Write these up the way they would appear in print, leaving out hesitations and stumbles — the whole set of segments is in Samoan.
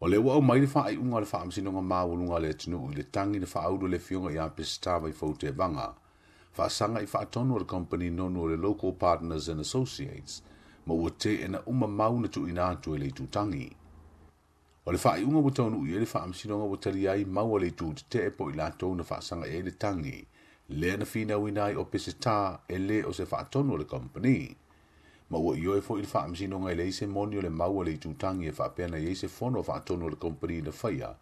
O lea ua aumai le faaiuga a le Faamasinoga Maualuga a le atunuu i le tagi na faaulu e le Afioga ia Peseta Vaifou Tevaga, faasaga i faatonu a le kamupani nonu o le Local Partners and Associates, ma ua teena uma mau na tuuina atu e le itutagi. O le faaiuga ua taunuu i ai le Faamasinoga ua talia ai mau a le itu tetee po o i latou na faasaga i ai le tagi, lea na finauina ai o Peseta e le o se faatonu a le kamupani. Ma ua ioe foi le Faamasinoga e leai se moni o le mau a le itutagi e faapea na i ai se fono faatonu a le kamupani na faia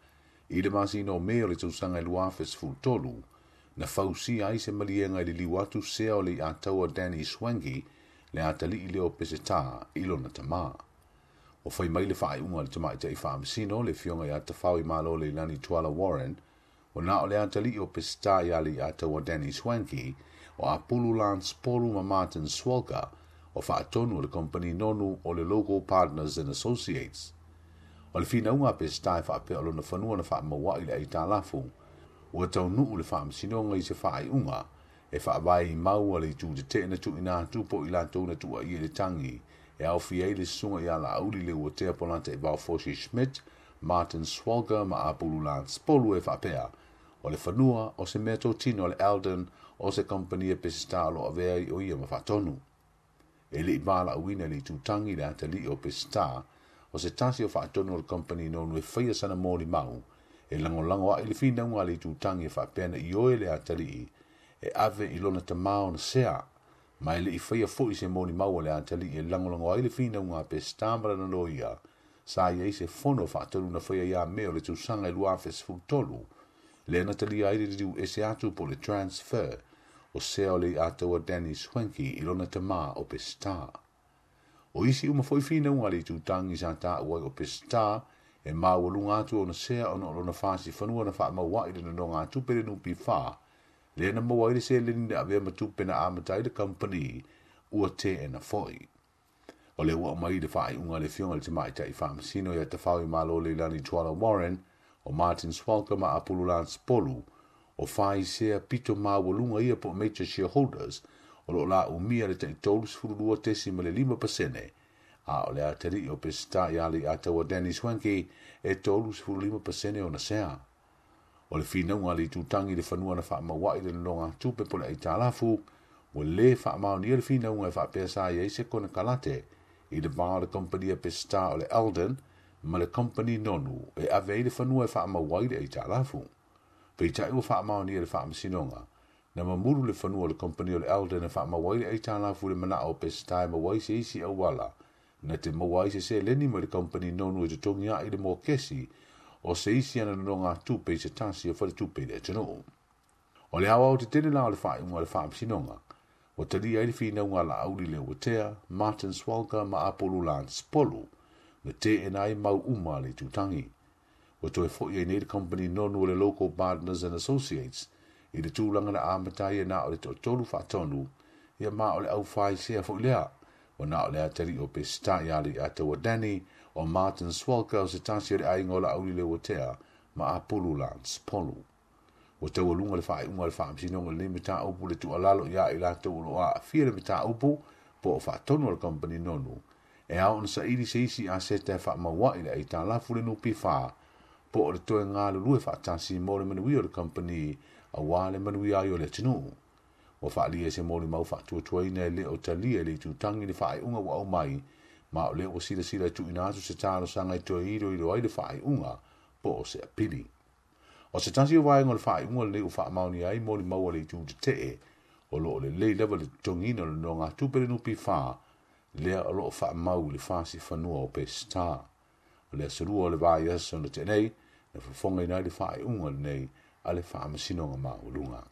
i le masina o Me o le tausaga e 2013, na fausia ai se maliega e liliu atu sea o le iataua Danny Swangy, le atalii lea o Peseta, i lona tamā. Ua fai mai le faaiuga a le tamaitai faamasino, le Afioga ia Tafaoimalo Leilani Tuala Warren, ua na o le atalii o Peseta ia le iataua Danny Swanky, o Apulu Lance Polu ma Martin Swalker, o faatonu o le kamupani nonu o le Local Partners and Associates. O le finauga a Peseta e faapea o lona fanua na faamauai le aitalafu, ua taunuu le faamasinoga i se faaiuga e faavae i mau a le itu tetee na tuuina atu po o i latou na tuuaia i le tagi e aofia ai le susuga ia Laauli Leuatea Polataivao Fosi Schmidt, Martin Swalger ma Apulu Lance Polu e faapea o le fanua o se meatotino a le Eldon o se kamupani a Peseta o lo o avea ai o ia ma faatonu. E le i valaauina e le itutagi le atalii o Peseta o se tasi o faatonu o le kamupani nonu e faia sana molimau e lagolago a'i le finauga a le itutagi e faapea na ioe le atalii e ave i lona tamā ona sea, ma e le i faia foi se molimau a le atalii e lagolago ai le finauga a Peseta ma lana loia sa i ai se fono faatonu na faia ia Me o le tausaga e 2013, lea na talia ai le liliu ese atu po o le transfer o sea o le iataua Danny Swanky i lona tamā o Peseta. O isi uma foi finauga a le itutagi sa taua ai o Peseta e maualuga atu ona sea ona o lona fasi fanua na faamauai le nonogatupe le NPF, lea na maua ai le seleni na avea ma tupe na amata ai le kamupani, ua teena foi. O lea ua aumai le faaiuga a le Afioga i le Tamaitai Faamasino ia Tafaoimalo Leilani Tuala Warren, o Martin Swalker ma Apulu Lance Polu, o fai sea pito maualuga ia po o major shareholders, o lo o laumia le tai 32.5%, a o le atalii o Peseta ia Leiataua Danny Swanky e 35% ona sea. O le finauga a le itutagi i le fanua na faamauai le nonogatupe po o le aitalafu, ua lē faamaonia le finauga e faapea sa i ai se konekarate i le va o le kamupani a Peseta o le Eldon ma le kamupani nonu e ave ai le fanua e faamau ai le aitalafu. Peitai ua faamaonia e le Faamasinoga na mamulu le fanua o le kamupani o le Eldon e faamau ai le aitalafu i le manao o Peseta e maua ai se isi auala na te maua ai se seleni mai le kamupani nonu e totogi a'i le mokesi o se isi ana nonogatupe i se tasi o faletupe i le atunuu. O le aoao tetele la o le faaiuga a le Faamasinoga, ua talia ai le finauga a Laauli Leuatea, Martin Swalker ma Apulu Lance Polu, na teena ai mau uma a le itutagi. Ua toe foi ai nei le kamupani nonu o le Local Partners and Associates i le tulaga na amata ai e na o le toatolu faatonu, ia ma o le aufaisea foi lea. Ua na o le atalii o Peseta ia Leiataua Danny, o Martin Swalker o se tasi o le aiga o Laauli Leuatea ma Apulu Lance Polu. Ua taualuga le faaiuga a le Faamasinoga i lenei mataupu le tuualalo ia i latou o lo o aafia i le mataupu po o faatonu a le kamupani nonu e ao ona saili se isi aseta e faamauai le aitalafu le NPF po o le toe galulue faatasi mo le manuia o le kamupani aua le manuia ai o le atunuu. Ua faaalia e se molimau faatuatuaina e le o talia e le itutagi le faaiuga ua aumai, ma o lea ua silasila e tuuina atu se talosaga e toe iloilo ai le faaiuga po o se apili. O se tasi o vaega o le faaiuga lenei ua faamaonia ai molimau a le itu tetee o lo o lelei lava le totogiina o le nonogatupe le NPF lea o lo o faamau i le fasi fanua o Peseta. O le aso Lua o le vaiaso na tea nei, na fofogaina ai le faaiuga lenei a le Faamasinoga Maualuga.